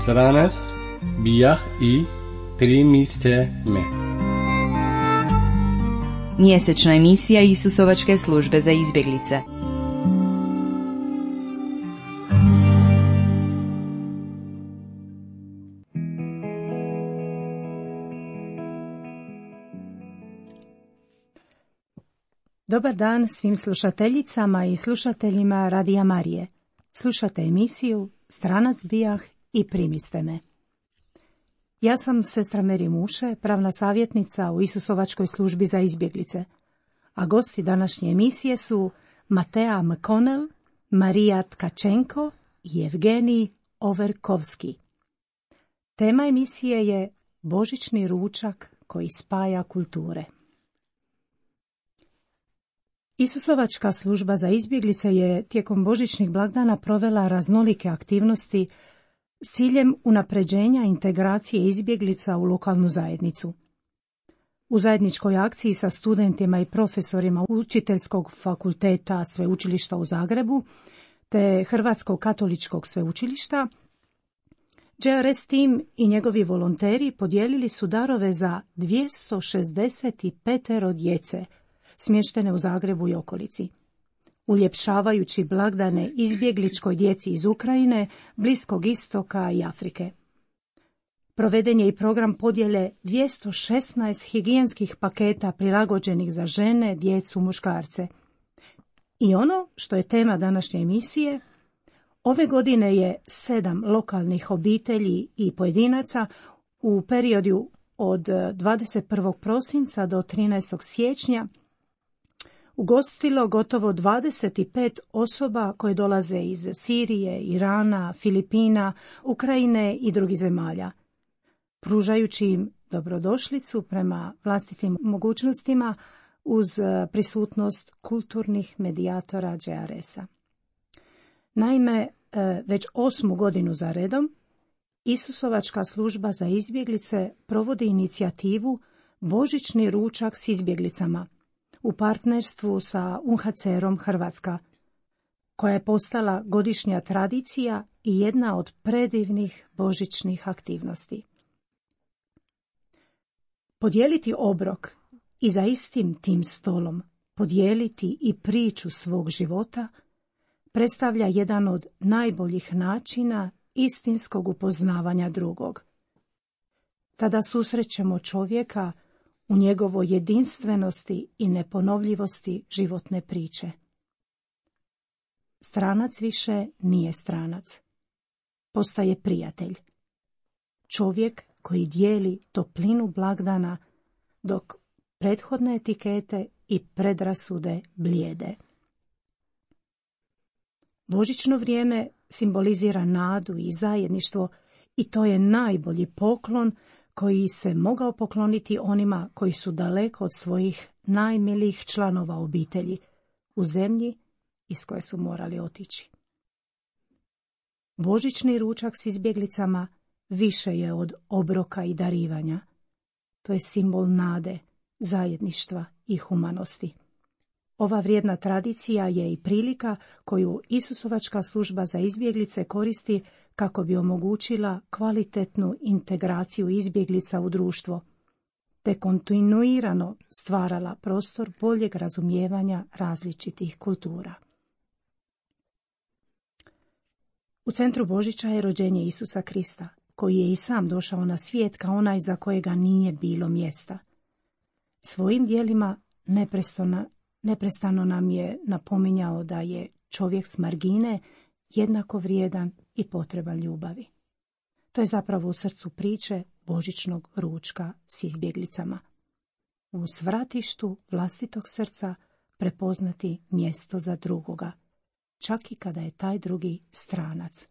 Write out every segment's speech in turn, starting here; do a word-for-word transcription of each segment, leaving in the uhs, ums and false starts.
Stranac bijah i primiste me. Mjesečna emisija Isusovačke službe za izbjeglice. Dobar dan svim slušateljicama i slušateljima Radija Marije. Slušate emisiju Stranac bijah i primiste me. Ja sam sestra Meri Muše, pravna savjetnica u Isusovačkoj službi za izbjeglice, a gosti današnje emisije su Matea McConnell, Marija Tkačenko i Evgenij Overkovski. Tema emisije je Božićni ručak koji spaja kulture. Isusovačka služba za izbjeglice je tijekom božićnih blagdana provela raznolike aktivnosti s ciljem unapređenja integracije izbjeglica u lokalnu zajednicu. U zajedničkoj akciji sa studentima i profesorima Učiteljskog fakulteta Sveučilišta u Zagrebu te Hrvatskog katoličkog sveučilišta, J R S tim i njegovi volonteri podijelili su darove za dvjesto šezdeset pet djece smještene u Zagrebu i okolici, uljepšavajući blagdane izbjegličkoj djeci iz Ukrajine, Bliskog istoka i Afrike. Proveden je i program podjele dvjesto šesnaest higijenskih paketa prilagođenih za žene, djecu, muškarce. I ono što je tema današnje emisije, ove godine je sedam lokalnih obitelji i pojedinaca u periodu od dvadeset prvog prosinca do trinaestog siječnja ugostilo gotovo dvadeset pet osoba koje dolaze iz Sirije, Irana, Filipina, Ukrajine i drugih zemalja, pružajući im dobrodošlicu prema vlastitim mogućnostima uz prisutnost kulturnih medijatora J R S-a. Naime, već osmu godinu za redom Isusovačka služba za izbjeglice provodi inicijativu Božićni ručak s izbjeglicama u partnerstvu sa U N H C R-om Hrvatska, koja je postala godišnja tradicija i jedna od predivnih božićnih aktivnosti. Podijeliti obrok i za istim tim stolom podijeliti i priču svog života predstavlja jedan od najboljih načina istinskog upoznavanja drugog. Tada susrećemo čovjeka u njegovoj jedinstvenosti i neponovljivosti životne priče. Stranac više nije stranac. Postaje prijatelj. Čovjek koji dijeli toplinu blagdana dok prethodne etikete i predrasude blijede. Božićno vrijeme simbolizira nadu i zajedništvo i to je najbolji poklon koji se mogao pokloniti onima koji su daleko od svojih najmilijih članova obitelji u zemlji iz koje su morali otići. Božićni ručak s izbjeglicama više je od obroka i darivanja. To je simbol nade, zajedništva i humanosti. Ova vrijedna tradicija je i prilika koju Isusovačka služba za izbjeglice koristi kako bi omogućila kvalitetnu integraciju izbjeglica u društvo, te kontinuirano stvarala prostor boljeg razumijevanja različitih kultura. U centru Božića je rođenje Isusa Krista, koji je i sam došao na svijet kao onaj za kojega nije bilo mjesta. Svojim djelima neprestano, neprestano nam je napominjao da je čovjek s margine jednako vrijedan i potreban ljubavi. To je zapravo u srcu priče božićnog ručka s izbjeglicama. U svratištu vlastitog srca prepoznati mjesto za drugoga, čak i kada je taj drugi stranac.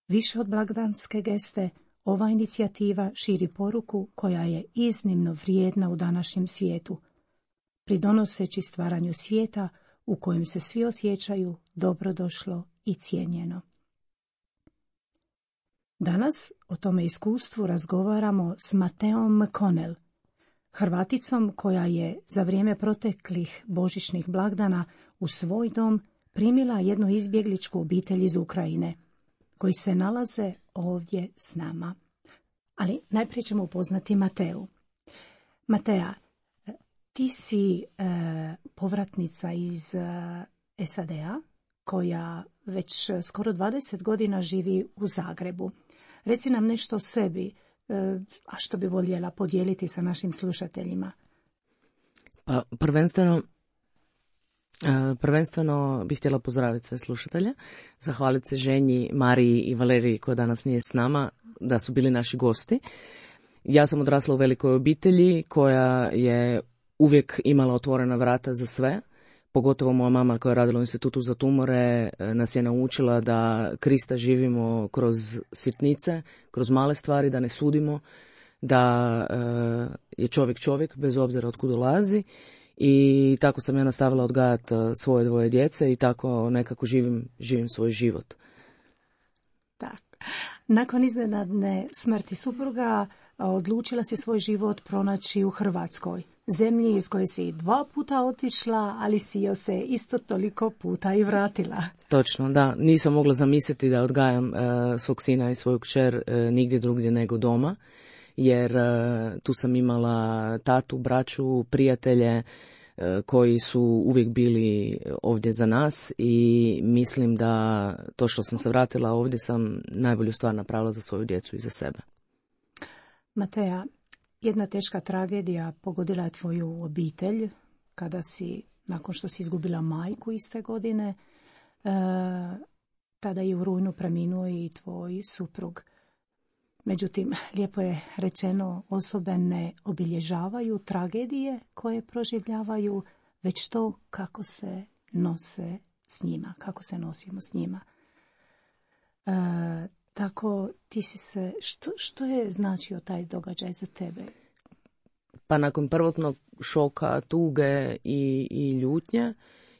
Više od blagdanske geste, ova inicijativa širi poruku koja je iznimno vrijedna u današnjem svijetu, pridonoseći stvaranju svijeta u kojem se svi osjećaju dobrodošlo i cijenjeno. Danas o tome iskustvu razgovaramo s Mateom McConnell, Hrvaticom koja je za vrijeme proteklih božićnih blagdana u svoj dom primila jednu izbjegličku obitelj iz Ukrajine, koji se nalaze ovdje s nama. Ali najprije ćemo upoznati Mateu. Matea, ti si e, povratnica iz e, S A D A koja već skoro dvadeset godina živi u Zagrebu. Reci nam nešto o sebi, e, a što bi voljela podijeliti sa našim slušateljima. Pa prvenstveno, e, prvenstveno bih htjela pozdraviti sve slušatelje, zahvaliti se ženji Mariji i Valeriji koja danas nije s nama, da su bili naši gosti. Ja sam odrasla u velikoj obitelji koja je uvijek imala otvorena vrata za sve. Pogotovo moja mama koja je radila u institutu za tumore nas je naučila da Krista živimo kroz sitnice, kroz male stvari, da ne sudimo, da je čovjek čovjek bez obzira od kud dolazi. I tako sam ja nastavila odgajati svoje dvoje djece i tako nekako živim, živim svoj život. Tak. Nakon iznenadne smrti supruga odlučila si svoj život pronaći u Hrvatskoj, zemlji iz koje si dva puta otišla, ali si joj se isto toliko puta i vratila. Točno, da. Nisam mogla zamisliti da odgajam uh, svog sina i svoju kćer uh, nigdje drugdje nego doma, jer uh, tu sam imala tatu, braću, prijatelje uh, koji su uvijek bili ovdje za nas i mislim da to što sam se vratila ovdje sam najbolju stvar napravila za svoju djecu i za sebe. Matea, jedna teška tragedija pogodila je tvoju obitelj kada si, nakon što si izgubila majku iste godine, e, tada je u rujnu preminuo i tvoj suprug. Međutim, lijepo je rečeno, osobe ne obilježavaju tragedije koje proživljavaju, već to kako se nose s njima, kako se nosimo s njima. E, Tako ti si se, što, što je značio taj događaj za tebe? Pa nakon prvotnog šoka, tuge i, i ljutnje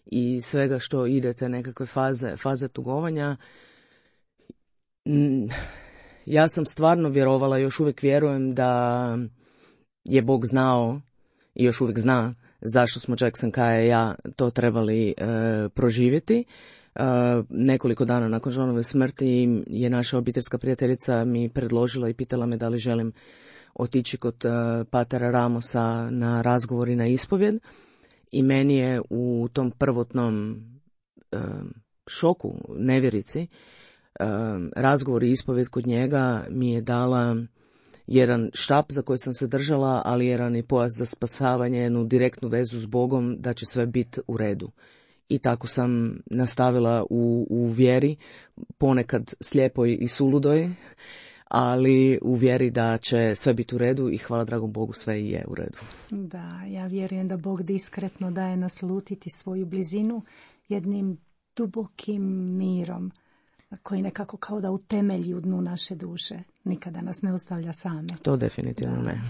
i svega što idete nekakve faze, faze tugovanja, ja sam stvarno vjerovala, još uvijek vjerujem da je Bog znao i još uvijek zna zašto smo Jackson Kaja i ja to trebali e, proživjeti. Uh, nekoliko dana nakon Johnove smrti je naša obiteljska prijateljica mi predložila i pitala me da li želim otići kod uh, patera Ramosa na razgovor i na ispovjed i meni je u tom prvotnom uh, šoku, nevjerici, uh, razgovor i ispovjed kod njega mi je dala jedan štap za koji sam se držala, ali jedan i pojas za spasavanje, jednu direktnu vezu s Bogom da će sve biti u redu. I tako sam nastavila u, u vjeri, ponekad slijepoj i suludoj, ali u vjeri da će sve biti u redu i hvala dragom Bogu sve i je u redu. Da, ja vjerujem da Bog diskretno daje naslutiti svoju blizinu jednim dubokim mirom koji nekako kao da utemelji u dnu naše duše. Nikada nas ne ostavlja same. To definitivno da. ne.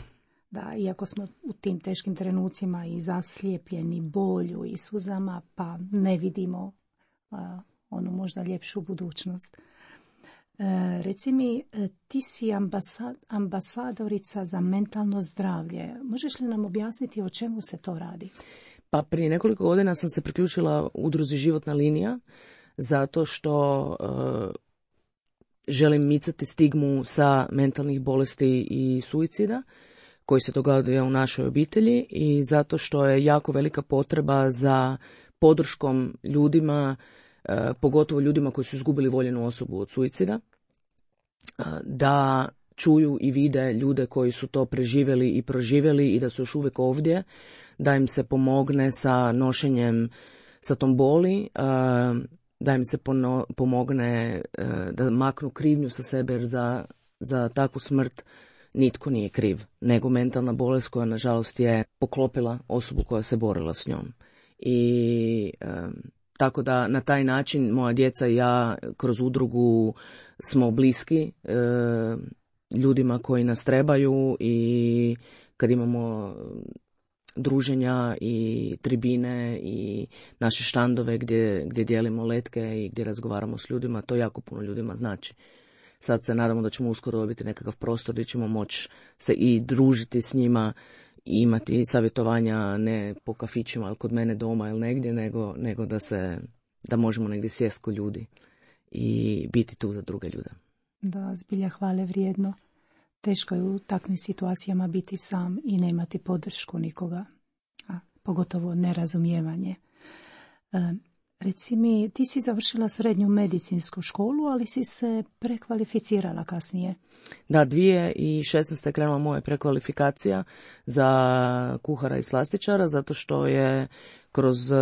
Da, iako smo u tim teškim trenucima i zaslijepljeni bolju i suzama, pa ne vidimo uh, onu možda ljepšu budućnost. Uh, reci mi, ti si ambasad, ambasadorica za mentalno zdravlje. Možeš li nam objasniti o čemu se to radi? Pa prije nekoliko godina sam se priključila udruzi Životna linija zato što uh, želim micati stigmu sa mentalnih bolesti i suicida koji se događa u našoj obitelji i zato što je jako velika potreba za podrškom ljudima, eh, pogotovo ljudima koji su izgubili voljenu osobu od suicida, eh, da čuju i vide ljude koji su to preživjeli i proživjeli i da su još uvijek ovdje, da im se pomogne sa nošenjem sa tom boli, eh, da im se pono, pomogne eh, da maknu krivnju sa sebe jer za, za takvu smrt nitko nije kriv, nego mentalna bolest koja nažalost je poklopila osobu koja se borila s njom. I e, tako da na taj način moja djeca i ja kroz udrugu smo bliski e, ljudima koji nas trebaju i kad imamo druženja i tribine i naše štandove gdje, gdje dijelimo letke i gdje razgovaramo s ljudima, to jako puno ljudima znači. Sad se nadamo da ćemo uskoro dobiti nekakav prostor gdje ćemo moći se i družiti s njima imati savjetovanja ne po kafićima ili kod mene doma ili negdje, nego, nego da se, da možemo negdje sjest ko ljudi i biti tu za druge ljude. Da, zbilja hvale vrijedno. Teško je u takvim situacijama biti sam i nemati podršku nikoga, a pogotovo nerazumijevanje. E, reci mi, ti si završila srednju medicinsku školu, ali si se prekvalificirala kasnije. Da, dvije tisuće šesnaeste je krenula moja prekvalifikacija za kuhara i slastičara, zato što je kroz,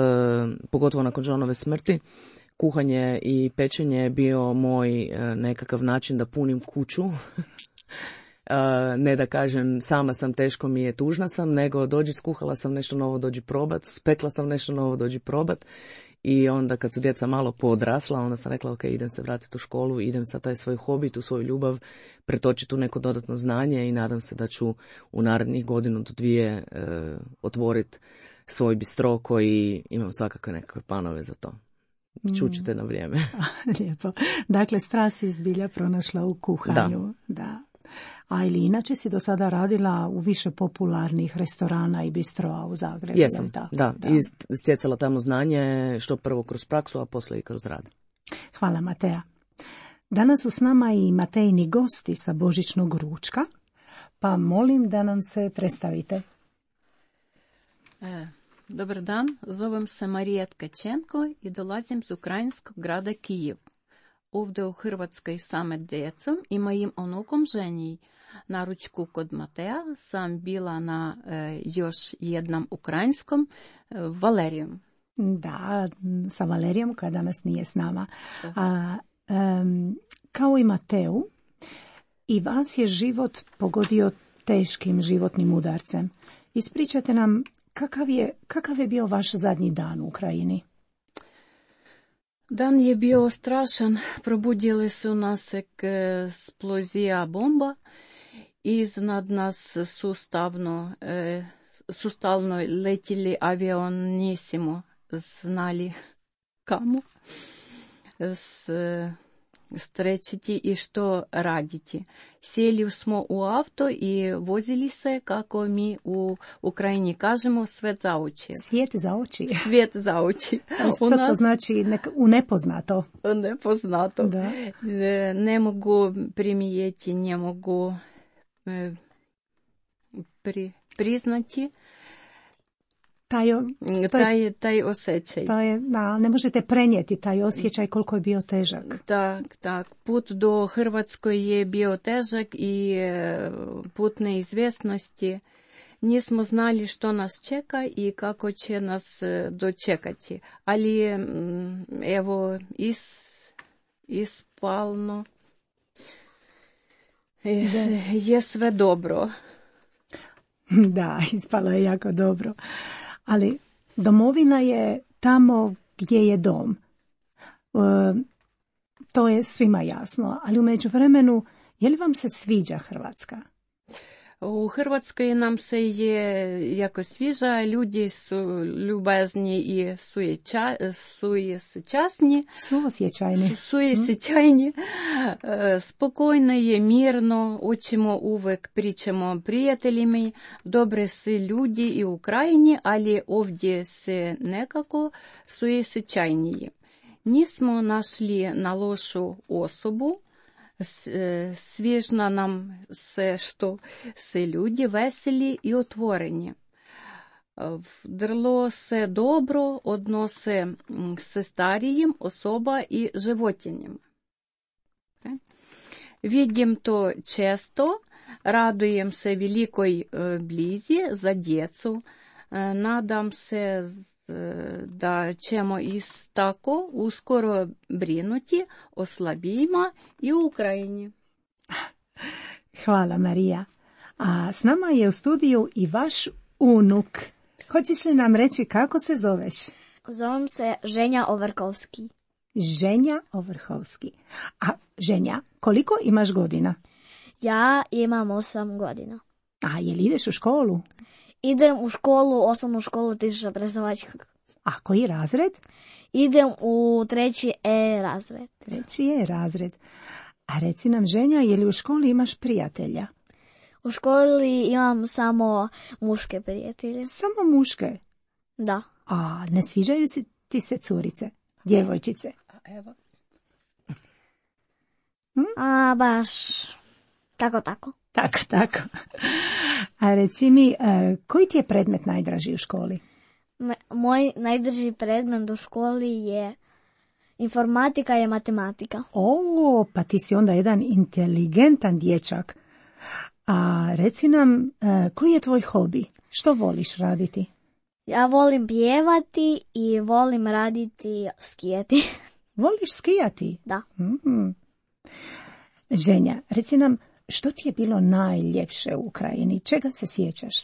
pogotovo nakon Johnove smrti, kuhanje i pečenje bio moj nekakav način da punim kuću. Ne da kažem sama sam, teško mi je, tužna sam, nego dođi, skuhala sam nešto novo, dođi probat, spekla sam nešto novo, dođi probat. I onda kad su djeca malo poodrasla, onda sam rekla ok, idem se vratiti u školu, idem sa taj svoj hobi, tu svoju ljubav pretočiti u neko dodatno znanje i nadam se da ću u narednih godinu do dvije e, otvoriti svoj bistro koji imam svakakve nekakve planove za to. Čućete na vrijeme. Lijepo. Dakle, strast si zbilja pronašla u kuhanju. Da. da. A ili inače si do sada radila u više popularnih restorana i bistroa u Zagrebu? Jesam, tako? da. da. I stjecala tamo znanje, što prvo kroz praksu, a poslije i kroz rad. Hvala, Matea. Danas su s nama i Matejini gosti sa božićnog ručka, pa molim da nam se predstavite. E, dobar dan, zovem se Marija Tkačenko i dolazim z ukrajinskog grada Kijev. Ovdje u Hrvatskoj same djecom i mojim unukom Ženji. Na ručku kod Matea sam bila na e, još jednom ukrajinskom e, Valerijom. Da, sa Valerijom koja danas nije s nama. A, um, kao i Mateu, i vas je život pogodio teškim životnim udarcem. Ispričate nam kakav je, kakav je bio vaš zadnji dan u Ukrajini? Dan je bio strašan, probudili su nas eksplozija bomba, iznad nas sustavno, e, sustavno letili avion, nismo znali kamo s, strećiti i što raditi. Sjeli smo u auto i vozili se, kako mi u Ukrajini kažemo, svet za oči. Svijet za oči? Svijet za oči. Što nas... to znači nek- u nepoznato? Nepoznato. Da. Ne, ne mogu primijeti, ne mogu e, pri, priznati taj, taj, taj osjećaj. Taj, da, ne možete prenijeti taj osjećaj koliko je bio težak. Tak, tak. Put do Hrvatskoj je bio težak i put neizvjesnosti. Nismo znali što nas čeka i kako će nas dočekati. Ali evo, is, ispalno je, je sve dobro. Da, ispalo je jako dobro. Ali domovina je tamo gdje je dom. E, to je svima jasno. Ali u međuvremenu, je li vam se sviđa Hrvatska? U Hrvatskoj nam se je jako sviđa, ljudi su ljubazni i sujeća, sujećasni. Suosjećajni. Suosjećajni. Spokojno je, mirno, učimo uvijek, pričamo prijateljima, dobre su ljudi i u Ukrajini, ali ovdje se nekako suosjećajniji. Nismo našli na lošu osobu, свіжно нам все, що все люди веселі і отворені. Вдрло се добро, односи се старієм, особа і животінням. Відім то често, радуєм се великой близі за дєцу, надам се da ćemo iz tako uskoro brinuti o slabijima i u Ukrajini. Hvala, Marija. A s nama je u studiju i vaš unuk. Hoćeš li nam reći kako se zoveš? Zovem se Ženja Ovrhovski. Ženja Ovrhovski. A Ženja, koliko imaš godina? Ja imam osam godina. A je li ideš u školu? Idem u školu, osnovnu školu Tisuća Prezdavačkog. A koji razred? Idem u treći E razred. Treći E razred. A reci nam, Ženja, je li u školi imaš prijatelja? U školi imam samo muške prijatelje. Samo muške? Da. A ne sviđaju si ti se curice, djevojčice? Evo. Hm? A baš tako, tako. Tako, tako. A reci mi, koji ti je predmet najdraži u školi? Moj najdraži predmet u školi je informatika i matematika. O, pa ti si onda jedan inteligentan dječak. A reci nam, koji je tvoj hobi? Što voliš raditi? Ja volim pjevati i volim raditi skijati. Voliš skijati? Da. Mm-hmm. Ženja, reci nam, što ti je bilo najljepše u Ukrajini? Čega se sjećaš?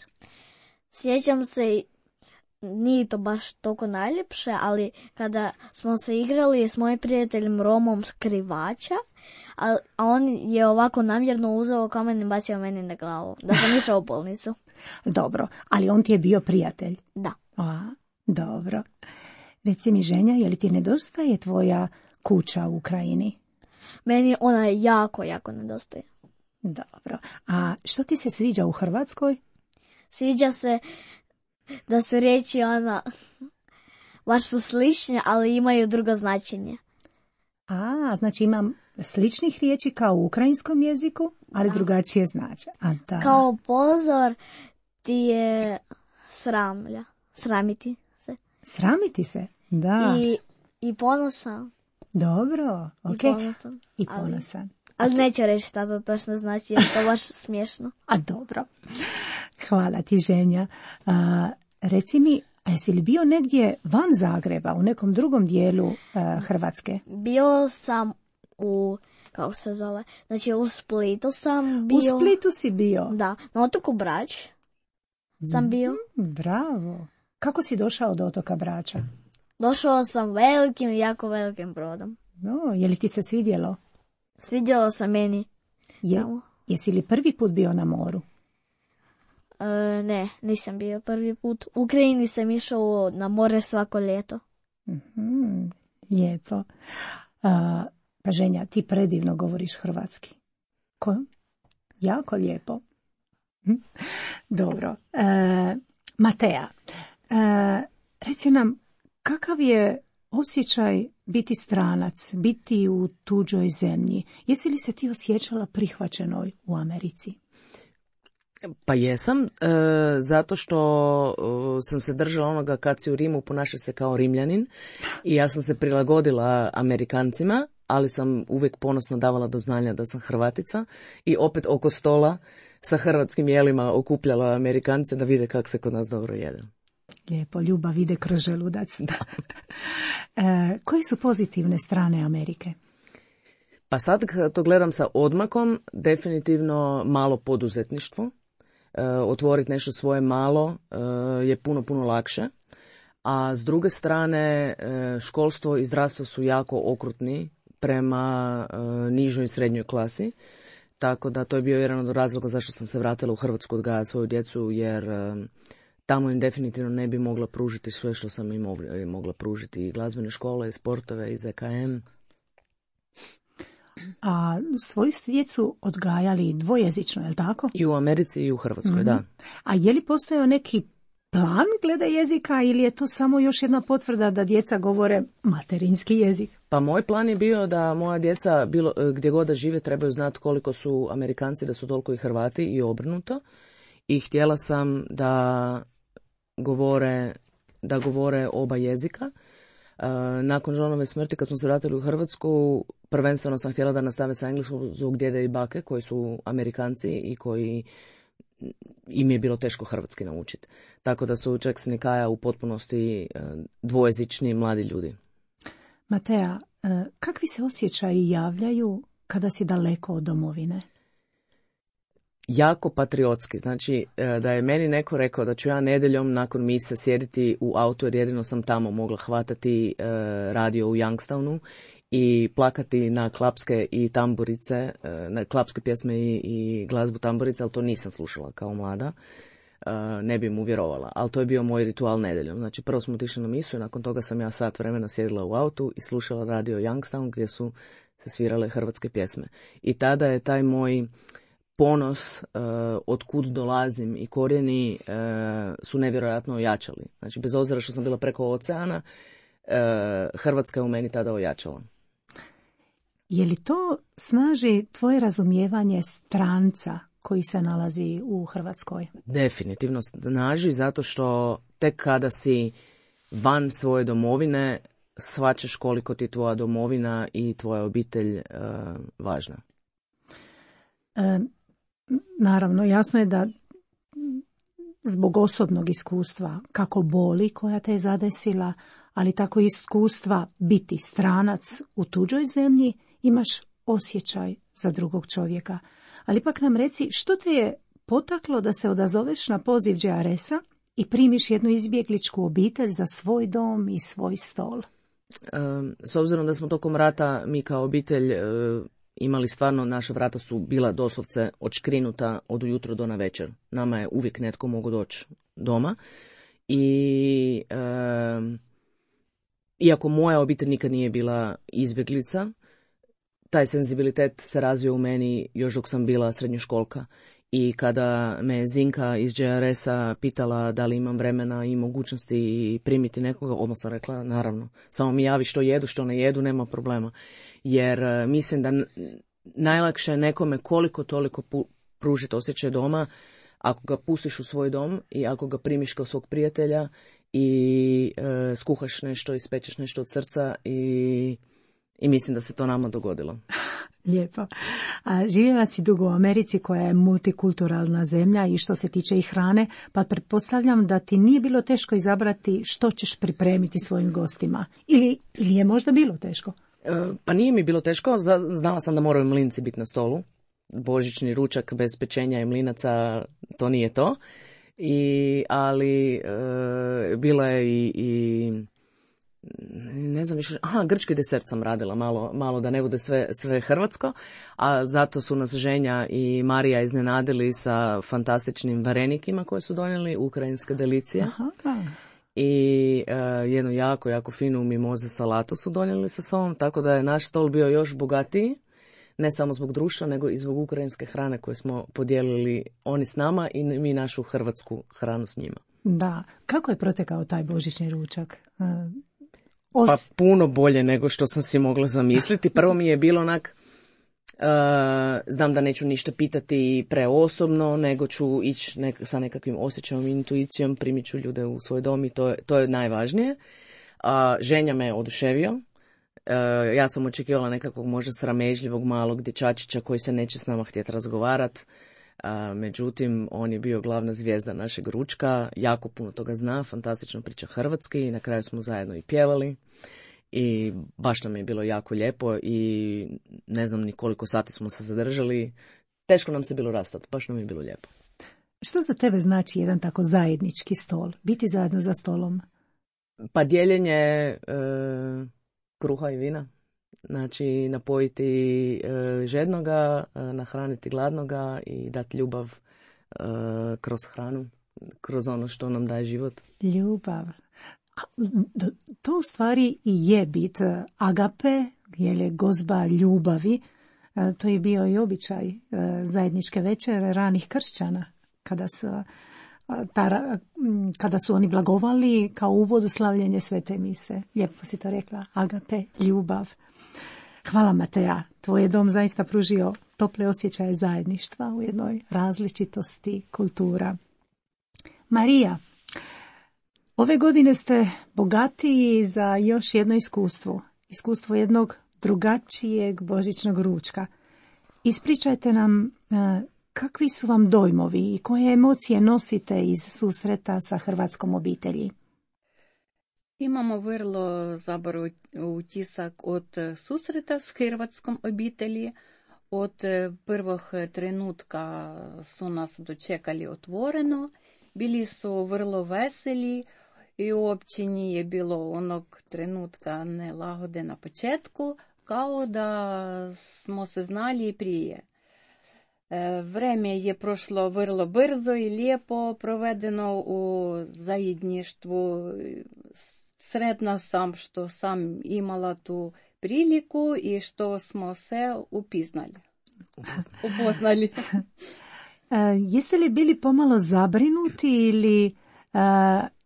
Sjećam se, nije to baš toliko najljepše, ali kada smo se igrali s mojim prijateljem Romom skrivača, a, a on je ovako namjerno uzeo kamen i bacio meni na glavu, da sam išao u bolnicu. Dobro, ali on ti je bio prijatelj? Da. A, dobro. Reci mi, Ženja, je li ti nedostaje tvoja kuća u Ukrajini? Meni ona jako, jako nedostaje. Dobro. A što ti se sviđa u Hrvatskoj? Sviđa se da su riječi ona baš su slične, ali imaju drugo značenje. A, znači imam sličnih riječi kao u ukrajinskom jeziku, ali da. Drugačije znače. A, da. Kao pozor ti je sramlja. Sramiti se. Sramiti se, da. I, i ponosan. Dobro, ok. I ponosan. I ponosan. Ali, ali neću reći šta to točno znači, jer to baš smiješno. A dobro. Hvala ti, Ženja. A, reci mi, a jesi li bio negdje van Zagreba, u nekom drugom dijelu a, Hrvatske? Bio sam u, kako se zove, znači u Splitu sam bio. U Splitu si bio? Da, na otoku Brač sam bio. Mm, bravo. Kako si došao do otoka Brača? Došao sam velikim, jako velikim brodom. No, je li ti se svidjelo? Svidjelo se meni. Je, jesi li prvi put bio na moru? E, ne, nisam bio prvi put. U Ukrajini sam išao na more svako ljeto. Mm-hmm, lijepo. A, pa Ženja, ti predivno govoriš hrvatski. Ko? Jako lijepo. Hm? Dobro. E, Matea, e, reci nam, kakav je osjećaj biti stranac, biti u tuđoj zemlji? Jesi li se ti osjećala prihvaćenoj u Americi? Pa jesam, e, zato što e, sam se držala onoga kad si u Rimu ponaša se kao Rimljanin i ja sam se prilagodila Amerikancima, ali sam uvijek ponosno davala do znanja da sam Hrvatica i opet oko stola sa hrvatskim jelima okupljala Amerikance da vide kako se kod nas dobro jede. Lijepo, ljubav ide kroz želudac. Da. e, koje su pozitivne strane Amerike? Pa sad kad to gledam sa odmakom, definitivno malo poduzetništvo. E, otvoriti nešto svoje malo e, je puno, puno lakše. A s druge strane, e, školstvo i zdravstvo su jako okrutni prema e, nižoj i srednjoj klasi. Tako da to je bio jedan od razloga zašto sam se vratila u Hrvatsku odgajati svoju djecu, jer e, tamo im definitivno ne bi mogla pružiti sve što sam im mogla pružiti. I glazbene škole, i sportove, i Z K M. A svoju djecu odgajali dvojezično, je li tako? I u Americi i u Hrvatskoj, mm-hmm. da. A je li postojao neki plan glede jezika ili je to samo još jedna potvrda da djeca govore materinski jezik? Pa moj plan je bio da moja djeca bilo, gdje god da žive trebaju znati koliko su Amerikanci, da su toliko i Hrvati i obrnuto. I htjela sam da govore, da govore oba jezika. Nakon Johnove smrti, kad smo se vratili u Hrvatsku, prvenstveno sam htjela da nastave sa engleskom zbog djede i bake koji su Amerikanci i koji im je bilo teško hrvatski naučiti. Tako da su Jackson i Kaja u potpunosti dvojezični mladi ljudi. Matea, kakvi se osjećaji javljaju kada si daleko od domovine? Jako patriotski. Znači da je meni neko rekao da ću ja nedjeljom nakon mise sjediti u autu, jer jedino sam tamo mogla hvatati uh, radio u Youngstownu i plakati na klapske i tamburice, uh, na klapske pjesme i, i glazbu tamburice, ali to nisam slušala kao mlada. Uh, ne bi mu vjerovala, ali to je bio moj ritual nedjeljom. Znači prvo smo otišli na misu i nakon toga sam ja sat vremena sjedila u autu i slušala radio Youngstown gdje su se svirale hrvatske pjesme. I tada je taj moj ponos uh, od kud dolazim i korijeni uh, su nevjerojatno ojačali. Znači, bez obzira što sam bila preko oceana, uh, Hrvatska je u meni tada ojačala. Je li to snaži tvoje razumijevanje stranca koji se nalazi u Hrvatskoj? Definitivno snaži, zato što tek kada si van svoje domovine, shvaćaš koliko ti tvoja domovina i tvoja obitelj uh, važna. E, naravno, jasno je da zbog osobnog iskustva, kako boli koja te je zadesila, ali tako iskustva biti stranac u tuđoj zemlji, imaš osjećaj za drugog čovjeka. Ali ipak nam reci, što te je potaklo da se odazoveš na poziv J R S-a i primiš jednu izbjegličku obitelj za svoj dom i svoj stol? S obzirom da smo tokom rata mi kao obitelj imali stvarno, naša vrata su bila doslovce odškrinuta od ujutro do na večer. Nama je uvijek netko mogao doći doma. I e, iako moja obitelj nikad nije bila izbjeglica, taj senzibilitet se razvio u meni još dok sam bila srednjoškolka. I kada me Zinka iz J R S-a pitala da li imam vremena i mogućnosti primiti nekoga, odmah sam rekla naravno. Samo mi javi što jedu, što ne jedu, nema problema. Jer uh, mislim da n- najlakše je nekome koliko toliko pu- pružiti osjećaj doma ako ga pustiš u svoj dom i ako ga primiš kao svog prijatelja i uh, skuhaš nešto, ispečeš nešto od srca i, i mislim da se to nama dogodilo. Lijepo. A živjela si dugo u Americi koja je multikulturalna zemlja i što se tiče i hrane, pa pretpostavljam da ti nije bilo teško izabrati što ćeš pripremiti svojim gostima. Ili, ili je možda bilo teško? E, pa nije mi bilo teško, znala sam da moraju mlinci biti na stolu. Božićni ručak bez pečenja i mlinaca, to nije to. I, ali e, bila je i... i ne znam više, aha, grčki desert sam radila malo, malo da ne bude sve, sve hrvatsko, a zato su nas Ženja i Marija iznenadili sa fantastičnim varenikima koje su donijeli, ukrajinske delicije. Aha, da. I uh, jednu jako, jako finu mimoze salatu su donijeli sa sobom, tako da je naš stol bio još bogatiji, ne samo zbog društva, nego i zbog ukrajinske hrane koje smo podijelili oni s nama i mi našu hrvatsku hranu s njima. Da, kako je protekao taj božićni ručak? Uh... Pa puno bolje nego što sam si mogla zamisliti. Prvo mi je bilo onak, uh, znam da neću ništa pitati preosobno, nego ću ići nek- sa nekakvim osjećajem i intuicijom, primit ću ljude u svoj dom i to je, to je najvažnije. Uh, Ženja me je oduševio. Uh, ja sam očekivala nekakvog možda sramežljivog malog dječačića koji se neće s nama htjeti razgovarati. A, međutim, on je bio glavna zvijezda našeg ručka, jako puno toga zna, fantastično priča hrvatski i na kraju smo zajedno i pjevali i baš nam je bilo jako lijepo i ne znam ni koliko sati smo se zadržali, teško nam se bilo rastati, baš nam je bilo lijepo. Što za tebe znači jedan tako zajednički stol, biti zajedno za stolom? Pa dijeljenje e, kruha i vina. Znači, napojiti e, žednoga, e, nahraniti gladnoga i dati ljubav e, kroz hranu, kroz ono što nam daje život. Ljubav. A, to u stvari i je bit agape, je gozba ljubavi. E, to je bio i običaj e, zajedničke večere ranih kršćana, kada su, ta, kada su oni blagovali kao uvod u slavljenje svete mise. Lijepo si to rekla, agape, ljubav. Hvala Mateja, tvoj je dom zaista pružio tople osjećaje zajedništva u jednoj različitosti kultura. Marija, ove godine ste bogatiji za još jedno iskustvo, iskustvo jednog drugačijeg božićnog ručka. Ispričajte nam kakvi su vam dojmovi i koje emocije nosite iz susreta sa hrvatskom obitelji. Imamo vrlo zabar utisak od susreta s hrvatskom obitelji. Od prvog trenutka su nas dočekali otvoreno, bili su vrlo veseli i uopće nije bilo onog trenutka nelagode na početku, kao da smo se znali prije. Vreme je prošlo vrlo brzo i lijepo provedeno u zajedništvu. Sretna sam što sam imala tu priliku i što smo se upiznali. upoznali. E, jeste li bili pomalo zabrinuti ili e,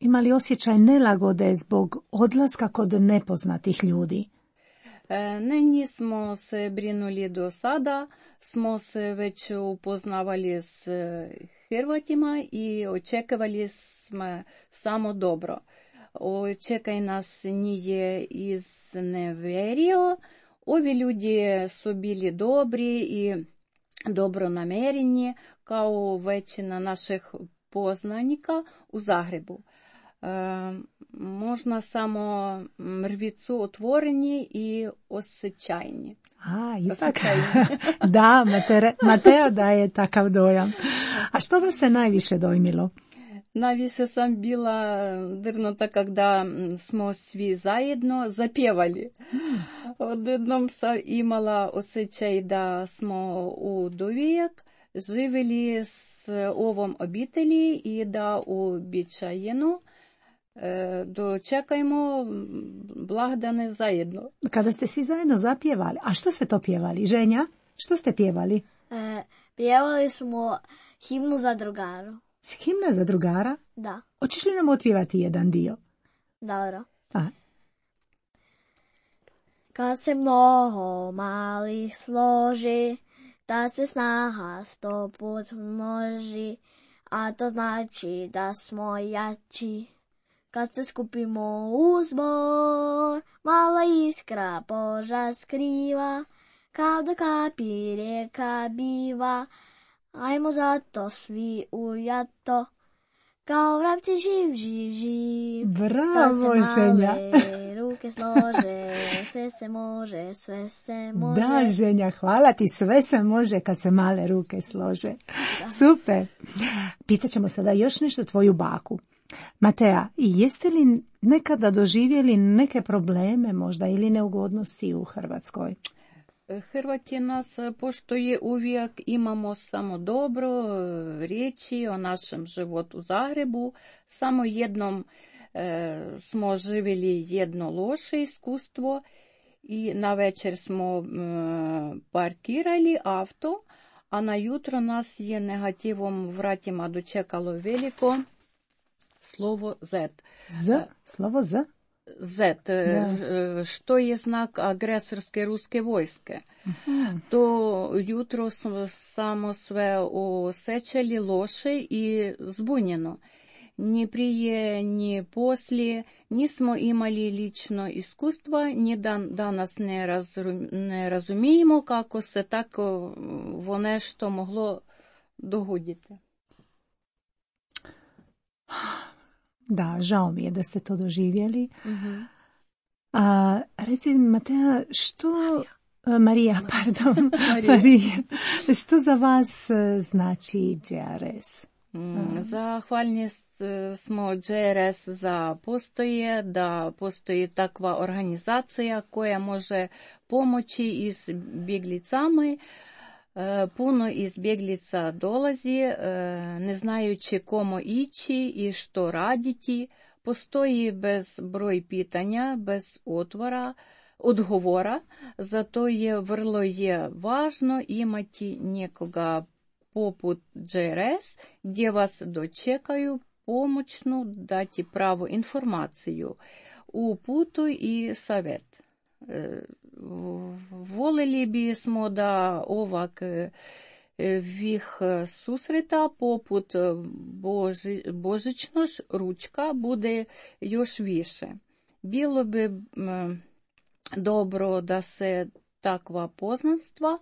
imali osjećaj nelagode zbog odlaska kod nepoznatih ljudi? E, Ne, nismo se brinuli do sada, smo se već upoznavali s Hrvatima i očekivali smo samo dobro. Očekaj nas nije izneverio. Ovi ljudi su bili dobri i dobronamjereni kao većina naših poznanika u Zagrebu. E, možda samo mrvicu otvoreni i osjećajni. A, ipak. Da, Matere, Matea daje takav dojam. A što vas se najviše dojmilo? Najviše sam bila dirnuta kada smo svi zajedno zapjevali. Odjednom sam imala osjećaj da smo udovijek živjeli s ovom obitelji i da uobičajeno e, dočekajmo blagdane zajedno. Kada ste svi zajedno zapjevali, a što ste to pjevali? Ženja, što ste pjevali? E, pjevali smo himnu za drugaru. Himna za drugara? Da, Hoćeš li nam otpjevati jedan dio? dobro. A, Kad se mnogo malih složi, da se snaha sto put množi, a to znači da smo jači. Kad se skupimo u zbor, mala iskra Boža skriva, kad do kapi rijeka biva, ajmo zato svi ujato, kao vrapci živ, živ, živ. bravo, Kad se Ženja. male ruke slože, sve se može, sve se može. Da, Ženja, hvala ti, sve se može kad se male ruke slože. Super. Pitaćemo sada još nešto tvoju baku. Matea, jeste li nekada doživjeli neke probleme možda ili neugodnosti u Hrvatskoj? Hrvati nas poštuje uvijek, imamo samo dobro riječi o našem životu u Zagrebu. Samo jednom e, smo živjeli jedno loše iskustvo i na večer smo e, parkirali auto, a na jutro nas je negativom vratima dočekalo veliko slovo Z. Z? Slovo Z? Z, Da. što je znak agresorske ruske vojske. Aha. To jutro smo samo sve osjećali loše i zbunjeno. Ni prije, ni poslije nismo imali lično iskustva, ni dan, danas ne, razum, ne razumijemo kako se tako vo nešto moglo dogoditi. Da, žao mi je da ste to doživjeli. Mhm. A, reci, Matea, što... Marija, Marija pardon. Marija. Marija. Što za vas e, znači J R S? Mm, Zahvalni s- smo J R S za postoje, da postoji takva organizacija koja može pomoći izbjeglicama. E, Puno izbjeglica dolazi, e, ne znajući komu ići i što raditi. Postoji bezbroj pitanja, bez otvora, odgovora, zato je vrlo je važno imati nekoga poput J R S gdje vas dočekaju pomoćnu dati pravu informaciju, uputu i savjet. E, Voljeli bismo da ovak e, vih susreta poput Boži, božićnog ručka bude još više. Bilo bi m, dobro da se takva poznanstva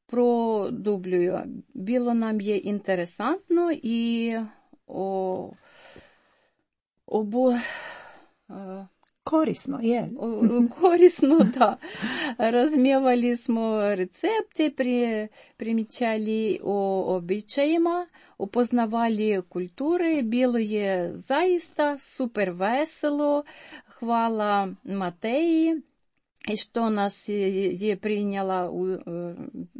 produbljuju. Bilo nam je interesantno i o, obo, e, Korisno, je. o- korisno, da. Razmijevali smo recepte, pri, primjećali o običajima, upoznavali kulture, bilo je zaista super veselo. Hvala Mateji i što nas je je prinjela u, e,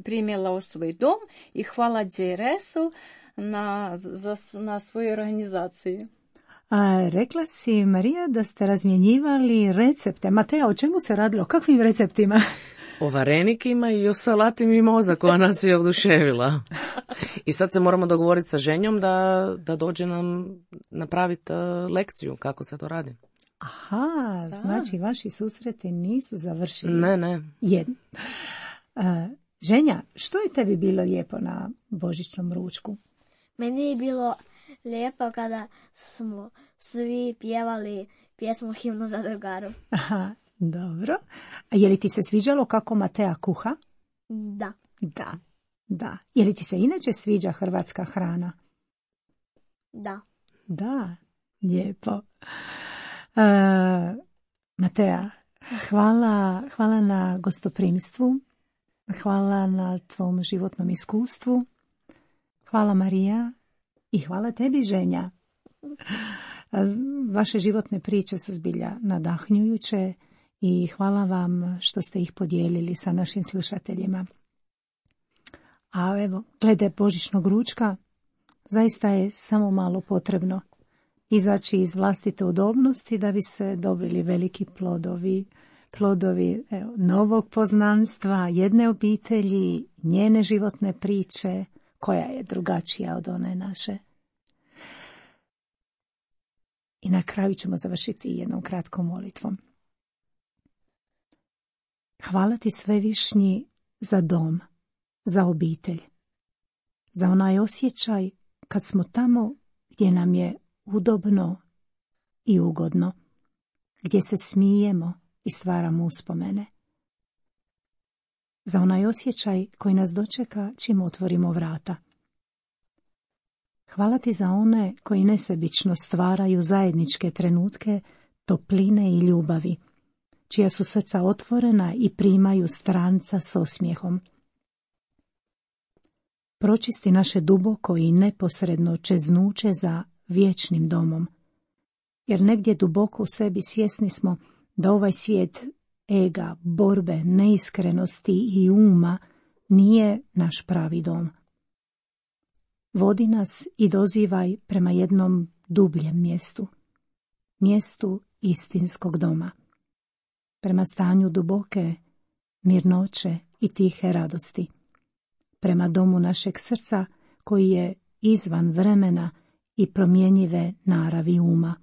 primjela u svoj dom i hvala J R S-u na, za, na svojoj organizaciji. A, rekla si, Marija, da ste razmjenjivali recepte. Matea, o čemu se radilo? Kakvim receptima? O varenikima i o salati mimoza koja nas je oduševila. I sad se moramo dogovoriti sa ženjom da, da dođe nam napraviti uh, lekciju kako se to radi. Aha, da. Znači vaši susreti nisu završili. Ne, ne. Jedno. Uh, Ženja, što je tebi bilo lijepo na božićnom ručku? Meni je bilo lijepo kada smo svi pjevali pjesmu Himnu za drugaru. Aha, dobro. A je li ti se sviđalo kako Matea kuha? Da. Da, da. Je li ti se inače sviđa hrvatska hrana? Da. Da, lijepo. Uh, Matea, hvala, hvala na gostoprimstvu, hvala na tvom životnom iskustvu, hvala Marija i hvala tebi Ženja. Vaše životne priče su zbilja nadahnjujuće i hvala vam što ste ih podijelili sa našim slušateljima. A evo, glede božićnog ručka, zaista je samo malo potrebno izaći iz vlastite udobnosti da bi se dobili veliki plodovi, plodovi evo, novog poznanstva, jedne obitelji, njene životne priče, koja je drugačija od one naše. I na kraju ćemo završiti jednom kratkom molitvom. Hvala ti Svevišnji za dom, za obitelj, za onaj osjećaj kad smo tamo gdje nam je udobno i ugodno, gdje se smijemo i stvaramo uspomene. Za onaj osjećaj koji nas dočeka čim otvorimo vrata. Hvala ti za one koji nesebično stvaraju zajedničke trenutke topline i ljubavi, čija su srca otvorena i primaju stranca s osmijehom. Pročisti naše duboko i neposredno čeznuće za vječnim domom, jer negdje duboko u sebi svjesni smo da ovaj svijet ega, borbe, neiskrenosti i uma nije naš pravi dom. Vodi nas i dozivaj prema jednom dubljem mjestu, mjestu istinskog doma, prema stanju duboke mirnoće i tihe radosti, prema domu našeg srca koji je izvan vremena i promjenjive naravi uma,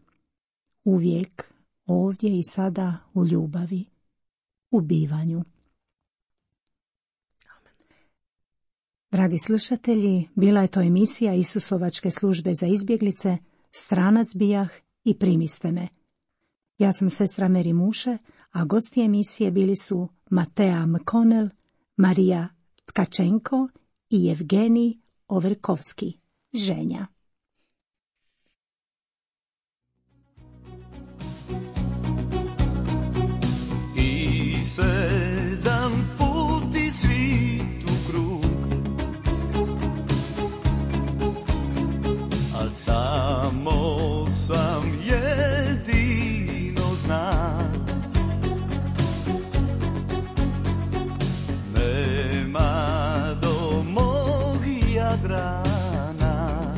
uvijek ovdje i sada u ljubavi, u bivanju. Dragi slušatelji, bila je to emisija Isusovačke službe za izbjeglice, Stranac bijah i Primiste me. Ja sam sestra Meri Muše, a gosti emisije bili su Matea Mkonel, Marija Tkačenko i Evgenij Overkovski, Ženja. I sedam puti svitu krug, al samo sam jedino znam. Nema do mog Jadrana,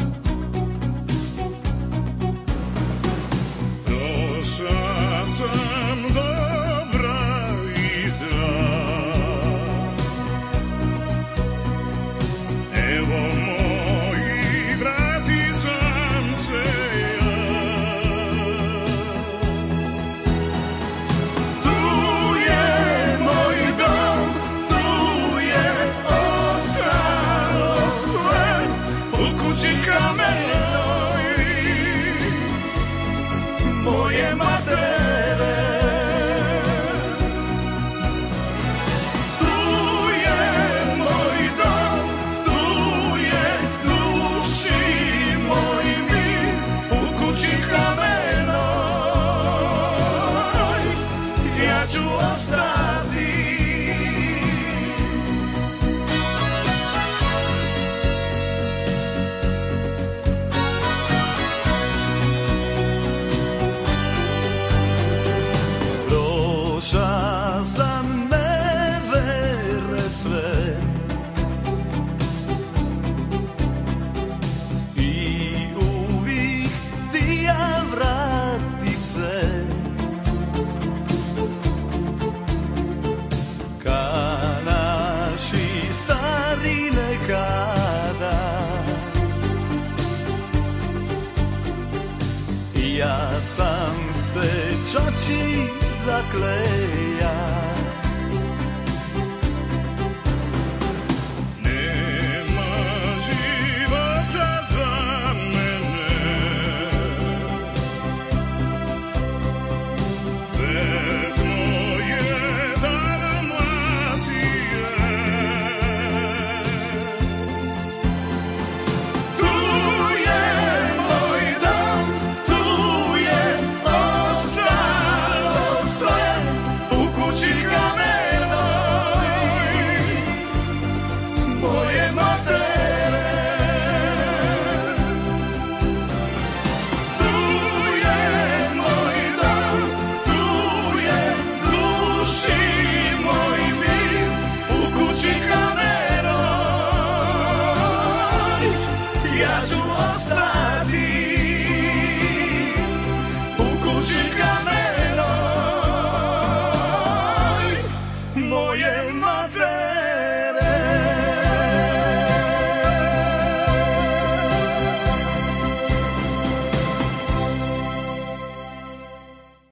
se čači zakleja.